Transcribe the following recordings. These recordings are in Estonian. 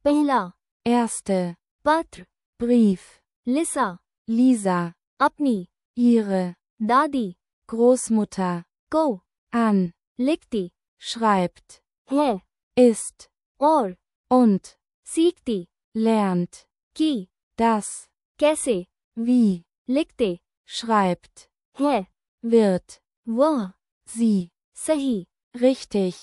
पहला, erste, पत्र, Brief, लिसा, Lisa, अपनी, ihre, दादी, Großmutter, को, an, लिखती, schreibt, है, ist, और, und, सीखती, lernt, कि, das, कैसे, wie, लिखते, schreibt, है, wird, वह, sie, सही, richtig,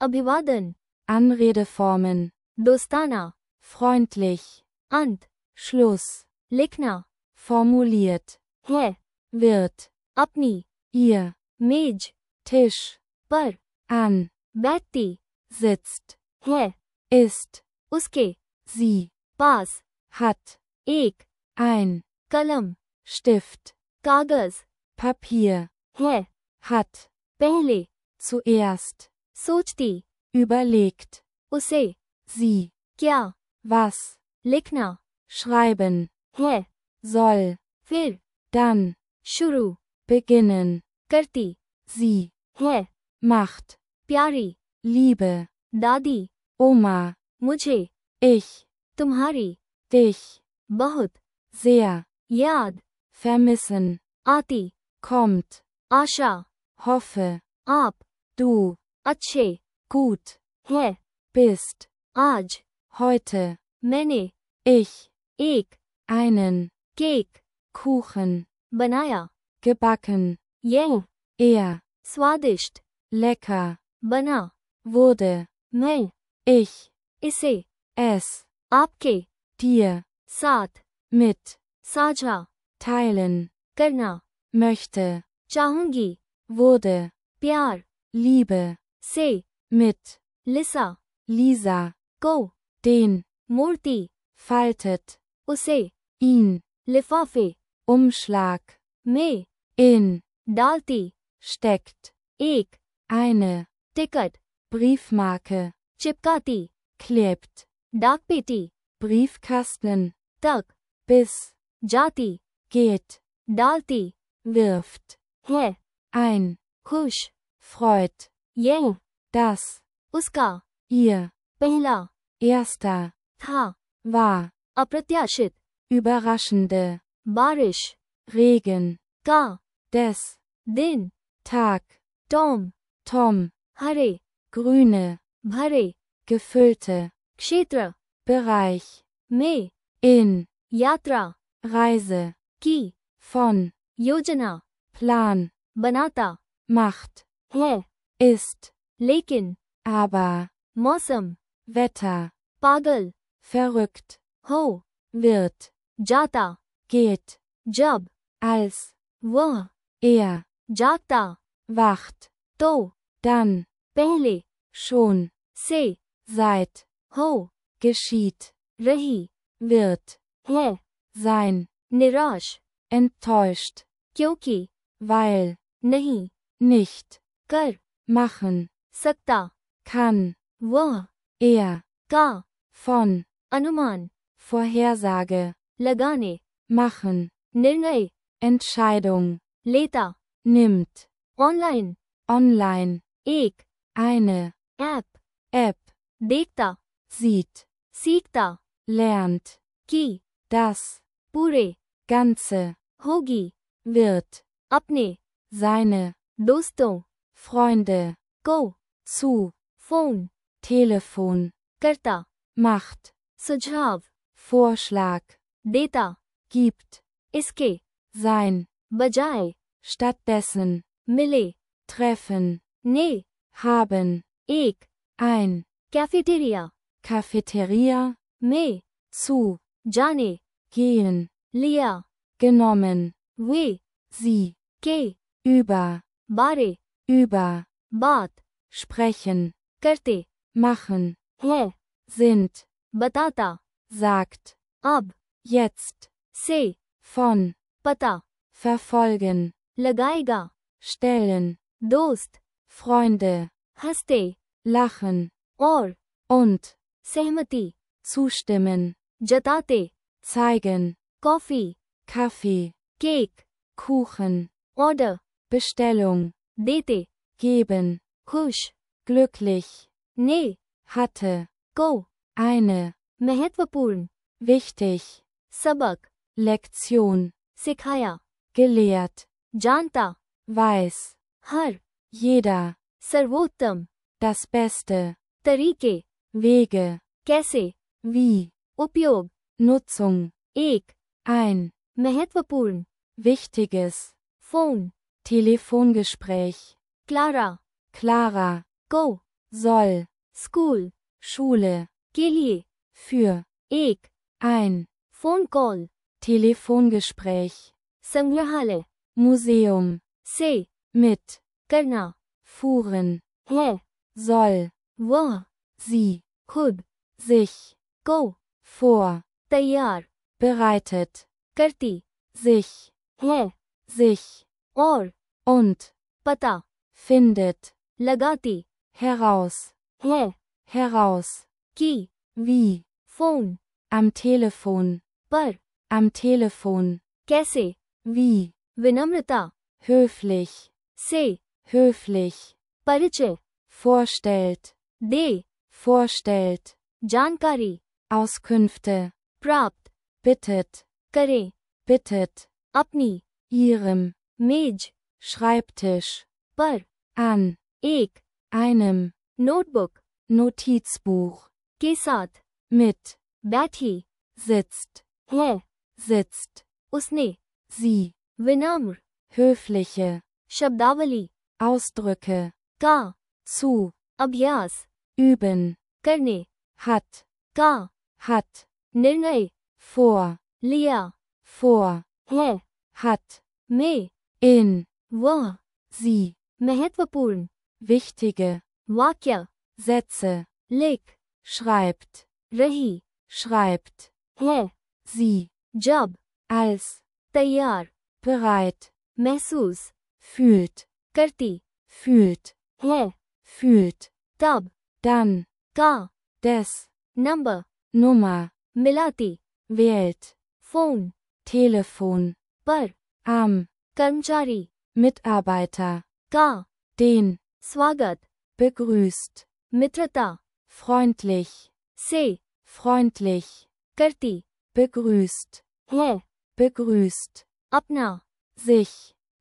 अभिवादन, Anredeformen, दोस्ताना, freundlich, अंत, Schluss, लिखना, formuliert, है, wird, अपनी, ihr, मेज, Tisch, पर, an, बैठती, sitzt, है, ist, उसके, sie, पास, hat, एक, ein, कलम, Stift, कागज, Papier, है, hat, पहले, zuerst, सोचती, überlegt, उसे, sie, क्या, was, लिखना, schreiben, है, soll, फिर, dann, शुरू, beginnen, करती, sie, है, macht, प्यारी, Liebe, दादी, Oma, मुझे, ich, तुम्हारी, dich, बहुत, sehr, याद, vermissen, आती, kommt, आशा, hoffe, आप, du, अच्छे, gut, है, bist, आज, heute, मैंने, ich, एक, einen, केक, Kuchen, बनाया, gebacken, यह, er, स्वादिष्ट, lecker, बना, wurde, मैं, ich, इसे, es, आपके, dir, साथ, mit, साझा, teilen, करना, möchte, चाहूंगी, wurde, प्यार, Liebe, से, mit, लिसा, Lisa, को, den, मूर्ति, faltet, उसे, ihn, लिफाफे, Umschlag, में, in, डालती, steckt, एक, eine, टिकट, Briefmarke, चिपकाती, klebt, डाकपेटी, Briefkasten, तक, bis, जाती, geht, डालती, wirft, है, ein, खुश, freut, यह, das, उसका, ihr, पहला, erster, था, war, अप्रत्याशित, überraschende, बारिश, Regen, का, des, दिन, Tag, टॉम, Tom, हरे, grüne, भरे, gefüllte, क्षेत्र, Bereich, में, in, यात्रा, Reise, की, von, योजना, Plan, बनाता, macht, है, ist, लेकिन, aber, मौसम, Wetter, पागल, verrückt, हो, wird, जाता, geht, जब, als, वह, er, जागता, wacht, तो, dann, पहले, schon, से, seit, हो, geschieht, रही, wird, है, sein, निराश, enttäuscht, क्योंकि, weil, नहीं, nicht, कर, machen, सकता, kann, वह, er, का, von, अनुमान, Vorhersage, लगाने, machen, निर्णय, Entscheidung, लेता, nimmt, ऑनलाइन, online, एक, eine, ऐप, App, देखता, sieht, सीखता, lernt, कि, das, पूरे, Ganze, होगी, wird, अपने, seine, दोस्तों, Freunde, को, zu, फोन, Telefon, करता, macht, सुझाव, Vorschlag, देता, gibt, इसके, sein, बजाय, stattdessen, मिले, treffen, ने, haben, एक, ein, कैफेटेरिया, Cafeteria, में, zu, जाने, gehen, लिया, genommen, वे, sie, के, über, बारे, über, बात, sprechen, करते, machen, है, sind, बताता, sagt, अब, jetzt, से, von, पता, verfolgen, लगाएगा, stellen, दोस्त, Freunde, हंसते, lachen, और, und, सहमति, zustimmen, जताते, zeigen, coffee, Kaffee, cake, Kuchen, order, Bestellung, देते, geben, खुश, glücklich, ने, hatte, को, eine, महत्वपूर्ण, wichtig, सबक, Lektion, सिखाया, gelehrt, जानता, weiß, हर, jeder, सर्वोत्तम, das Beste, तरीके, Wege, कैसे, wie, उपयोग, Nutzung, एक, ein, महत्वपूर्ण, wichtiges, phone, Telefongespräch, Clara, Clara, को, soll, स्कूल, Schule, के लिए, für, एक, ein, फोन कॉल, Telefongespräch, संग्रहालय, Museum, से, mit, करना, fuhren, है, soll, वह, sie, खुद, sich, को, vor, तैयार, bereitet, करती, sich, है, sich, और, und, पता, findet, लगाती, heraus, है, heraus, की, wie, फोन, am Telefon, पर, am Telefon, कैसे, wie, विनम्रता, höflich, से, höflich, परिचय, vorstellt, दे, vorstellt, जानकारी, Auskünfte, प्राप्त, bittet, करे, bittet, अपनी, ihrem, मेज, Schreibtisch, पर, an, एक, einem, नोटबुक, Notizbuch, के साथ, mit, बैठी, sitzt, है, sitzt, उसने, sie, विनम्र, höfliche, शब्दावली, Ausdrücke, का, zu, अभ्यास, üben, करने, hat, का, hat, निर्णय, vor, लिया, vor, है, hat, में, in, वह, sie, महत्वपूर्ण, wichtige, वाक्य, Sätze, लिख, schreibt, रही, schreibt, है, sie, जब, als, तैयार, bereit, महसूस, fühlt, करती, fühlt, है, fühlt, तब, dann, का, des, नंबर, Nummer, मिलाती, wählt, फोन, Telefon, पर, am, कर्मचारी, Mitarbeiter, का, den, स्वागत, begrüßt, मित्रता, freundlich, से, freundlich, करती, begrüßt, है, begrüßt, अपना, sich,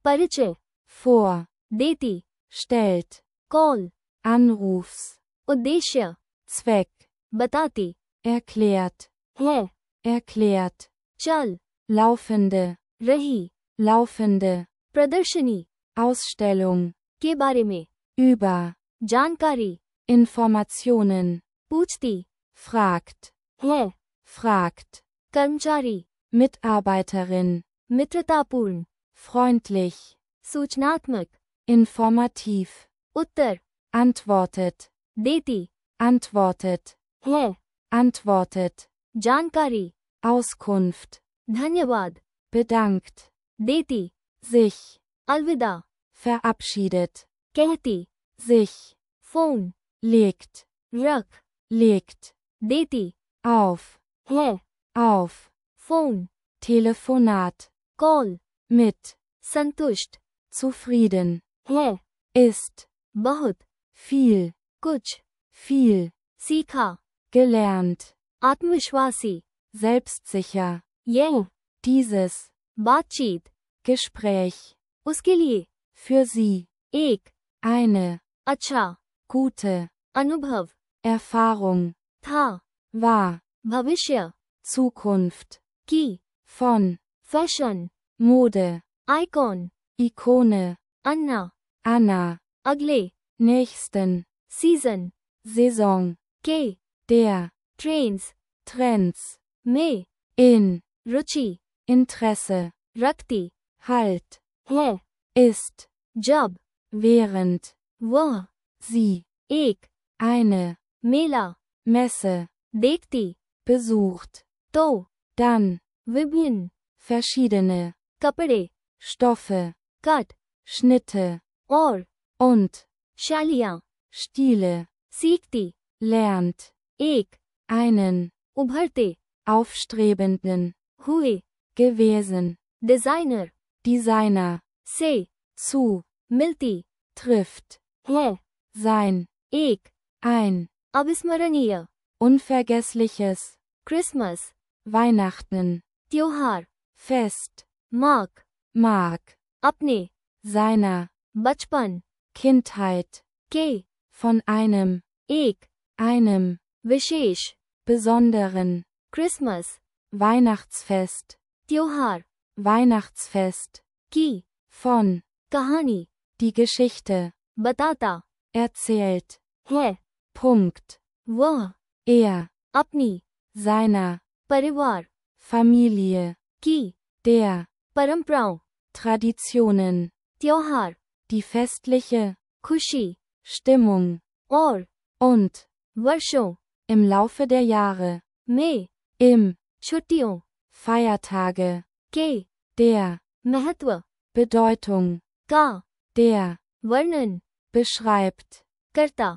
परिचय, vor, देती, stellt, कॉल, Anrufs, उद्देश्य, Zweck, बताती, erklärt, है, erklärt, चल, laufende, रही, laufende, प्रदर्शनी, Ausstellung, के बारे में, über, जानकारी, Informationen, पूछती, fragt, है, fragt, कर्मचारी, Mitarbeiterin, मित्रतापूर्ण, freundlich, सूचनात्मक, informativ, उत्तर, antwortet, देती, antwortet, है, antwortet, जानकारी, Auskunft, धन्यवाद, bedankt, देती, sich, अलविदा, verabschiedet, कहती, sich, फोन, legt, रख, legt, देती, auf, है, auf, phone, Telefonat, call, mit, संतुष्ट, zufrieden, है, ist, बहुत, viel, कुछ, viel, सीखा, gelernt, आत्मविश्वासी, selbstsicher, यह, dieses, बातचीत, Gespräch, उसके लिए, für sie, एक, eine, अच्छा, gute, अनुभव, Erfahrung, था, war, भविष्य, Zukunft, की, von, fashion, Mode, icon, Ikone, अन्ना, Anna, अगले, nächsten, सीजन, Saison, के, der, ट्रेन्स, Trends, में, in, रुचि, Interesse, रखती, halt, है, ist, जब, während, वह, sie, एक, eine, मेला, Messe, देखती, besucht, तो, dann, विभिन्न, verschiedene, कपड़े, Stoffe, कट, Schnitte, और, und, शैलियाँ, Stile, सीखती, lernt, एक, einen, उभरते, aufstrebenden, हुए, gewesen, डिजाइनर, Designer, से, zu, मिलती, trifft, है, sein, एक, ein, अविस्मरणीय, unvergessliches, क्रिसमस, Weihnachten, त्योहार, Fest, मार्क, Mark, अपने, seiner, बचपन, Kindheit, के, von einem, einem, विशेष, besonderen, क्रिसमस, Weihnachtsfest, त्योहार, Weihnachtsfest, की, von, कहानी, die Geschichte, बताता, erzählt, है, Punkt, वह, अपनी, seiner, परिवार, Familie, की, der, परंपराओं, Traditionen, त्योहार, die festliche, खुशी, Stimmung, और, und, वर्षों, im Laufe der Jahre, में, im, छुट्टियों, Feiertage, के, der, महत्व, Bedeutung, का, der, वर्णन, beschreibt, करता,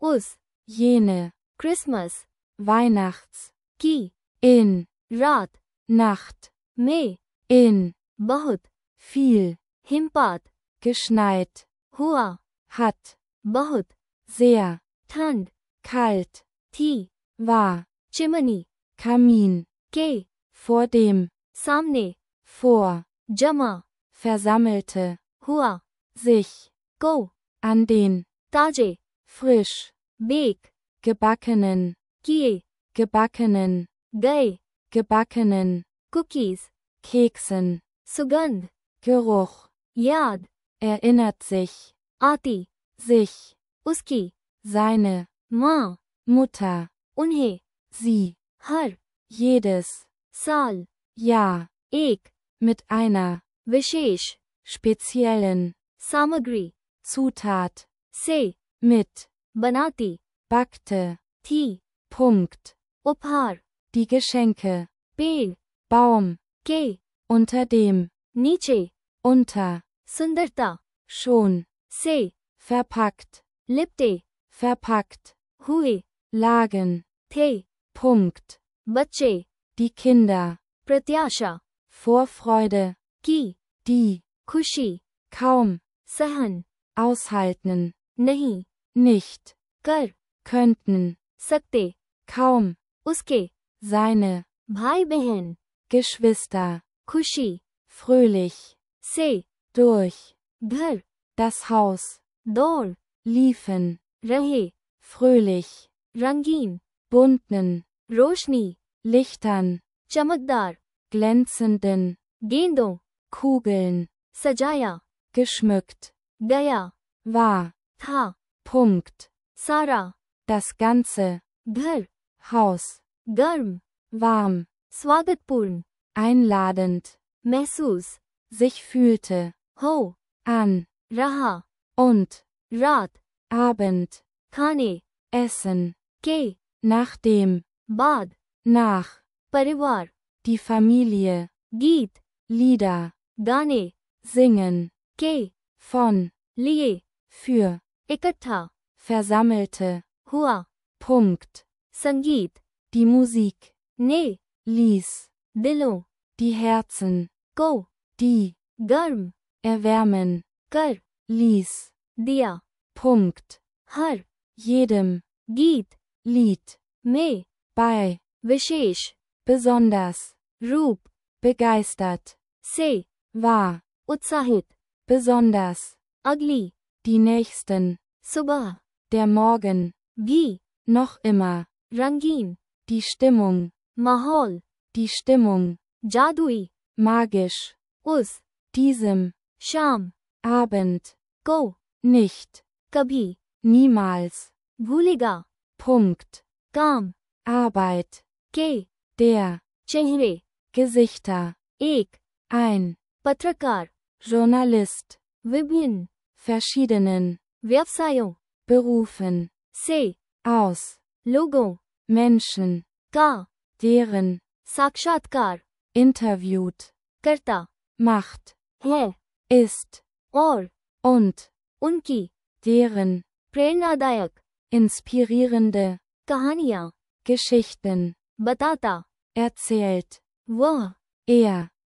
उस, jene, क्रिसमस, Weihnachts, की, in, रात, Nacht, में, in, बहुत, viel, हिमपात, geschneit, हुआ, hat, बहुत, sehr, ठंड, kalt, थी, war, चिमनी, Kamin, के, vor dem, सामने, vor, जमा, versammelte, हुआ, sich, को, an den, ताजे, frisch, बेक, gebackenen, किए, gebackenen, गए, gebackenen, कुकीज, Keksen, सुगंध, Geruch, याद, erinnert sich, आती, sich, उसकी, seine, माँ, Mutter, उन्हें, sie, हर, jedes, साल, Jahr, एक, mit einer, विशेष, speziellen, सामग्री, Zutat, से, mit, बनाती, backte, थी, Punkt, उपहार, die Geschenke, पेड़, Baum, के, unter dem, नीचे, unter, सुंदरता, schon, से, verpackt, लिपटे, verpackt, हुए, lagen, थे, Punkt, बच्चे, die Kinder, प्रत्याशा, Vorfreude, की, die, खुशी, kaum, सहन, aushalten, नहीं, nicht, कर, könnten, सकते, kaum, उसके, seine, भाई बहन, Geschwister, खुशी, fröhlich, से, durch, घर, das Haus, दौड़, liefen, रहे, fröhlich, रंगीन, bunten, रोशनी, Lichtern, चमकदार, glänzenden, गेंदों, Kugeln, सजाया, geschmückt, गया, war, था, Punkt, सारा, das ganze, घर, Haus, गर्म, warm, स्वागतपूर्ण, einladend, महसूस, sich fühlte, हो, an, रहा, und, रात, Abend, खाने, Essen, के, nachdem, बाद, nach, परिवार, die Familie, गीत, Lieder, गाने, singen, के, von, लिए, für, इकट्ठा, versammelte, हुआ, Punkt, संगीत, die Musik, ने, ließ, दिलों, die Herzen, को, die, गर्म, erwärmen, कर, ließ, दिया, Punkt, हर, jedem, गीत, Lied, में, bei, विशेष, besonders, रूप, begeistert, से, war, उत्साहित, besonders, अगली, die nächsten, सुबह, der Morgen, भी, noch immer, रंगीन, die Stimmung, माहौल, die Stimmung, जादुई, magisch, उस, diesem, शाम, Abend, को, nicht, कभी, niemals, भूलेगा, Punkt, काम, Arbeit, के, der, चेहरे, Gesichter, एक, ein, पत्रकार, Journalist, विभिन्न, verschiedenen, व्यवसायों, Berufen, से, aus, लोगों, Menschen, का, deren, साक्षात्कार, interviewt, करता, macht, है, ist, और, und, उनकी, deren, प्रेरणादायक, inspirierende, कहानियाँ, Geschichten, बताता, erzählt, वह,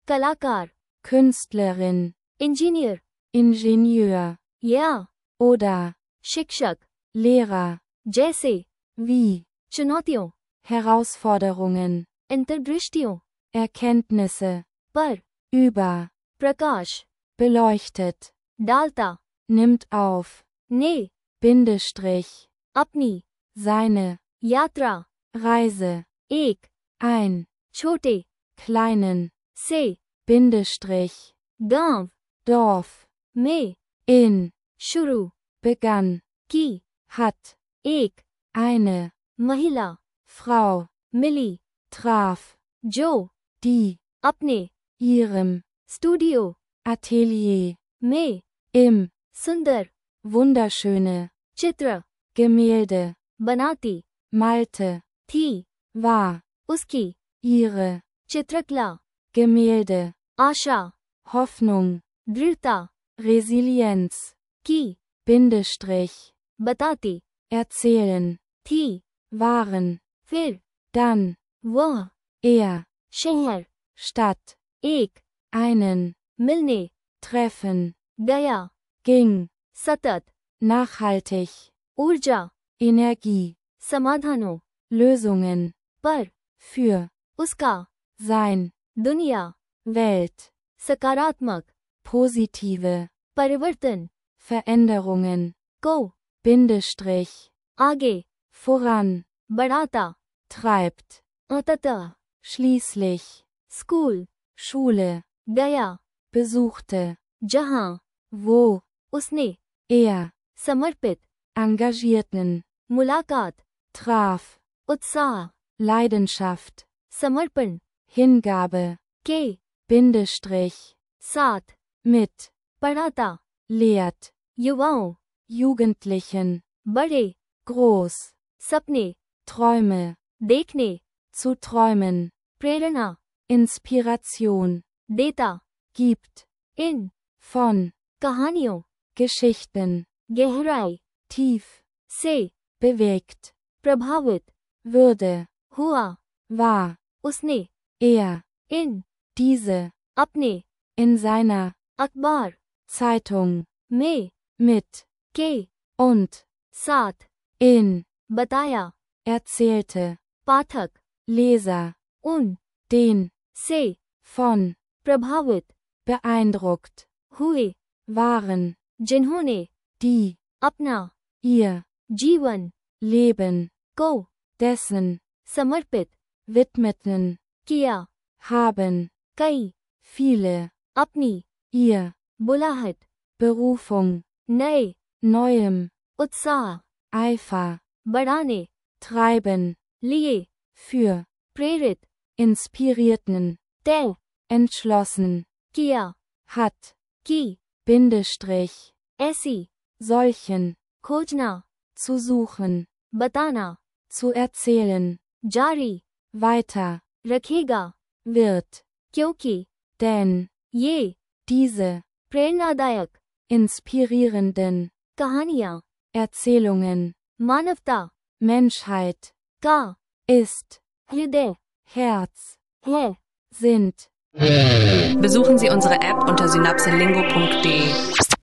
कलाकार, Künstlerin, इंजीनियर, Ingenieur, या, oder, शिक्षक, Lehrer, जैसे, wie, चुनौतियों, Herausforderungen, अंतर्दृष्टियों, Erkenntnisse, पर, über, प्रकाश, beleuchtet, डालता, nimmt auf, ने, Bindestrich, अपनी, seine, यात्रा, Reise, एक, ein, छोटे, kleinen, से, Bindestrich, गांव, Dorf, में, in, शुरू, begann, की, hat, एक, eine, महिला, Frau, मिली, traf, जो, die, अपने, ihrem, स्टूडियो, Atelier, में, im, सुंदर, wunderschöne, चित्र, Gemälde, बनाती, malte, थी, war, उसकी, ihre, चित्रकला, Gemälde, आशा, Hoffnung, दृढ़ता, Resilienz, की, Bindestrich, बताती, erzählen, थी, waren, फिर, dann, वह, er, शहर, Stadt, एक, einen, मिलने, treffen, गया, ging, सतत, nachhaltig, ऊर्जा, Energie, समाधानों, Lösungen, पर, für, उसका, sein, दुनिया, Welt, सकारात्मक, positive, परिवर्तन, Veränderungen, को, Bindestrich, आगे, voran, बढ़ाता, treibt, अंततः, schließlich, स्कूल, Schule, गया, besuchte, जहां, wo, उसने, er, समर्पित, engagierten, मुलाकात, traf, उत्साह, Leidenschaft, समर्पण, Hingabe, के, Bindestrich, साथ, mit, पढ़ाता, lehrt, युवाओं, Jugendlichen, बड़े, groß, सपने, Träume, देखने, zu träumen, प्रेरणा, Inspiration, देता, gibt, इन, von, कहानियों, Geschichten, गहराई, tief, से, bewegt, प्रभावित, würde, हुआ, war, उसने, er, इन, diese, अपने, in seiner, अखबार, Zeitung, में, mit, के, und, साथ, in, बताया, erzählte, पाठक, Leser, उन, den, से, von, प्रभावित, beeindruckt, हुए, waren, जिन्होंने, die, अपना, ihr, जीवन, Leben, को, dessen, समर्पित, widmeten, किया, haben, कई, viele, अपनी, ihr, बुलाहट, Berufung, नए, neuem, उत्साह, Eifer, बढ़ाने, treiben, लिए, für, प्रेरित, inspirierten, तय, entschlossen, किया, hat, की, Bindestrich, ऐसी, solchen, खोजना, zu suchen, बताना, zu erzählen, जारी, weiter, रखेगा, wird, क्योंकि, denn, ये, diese, प्रेरणादायक, inspirierenden, कहानियाँ, Erzählungen, मानवता, Menschheit, का, ist, हृदय, Herz, है, sind. Besuchen Sie unsere App unter synapselingo.de.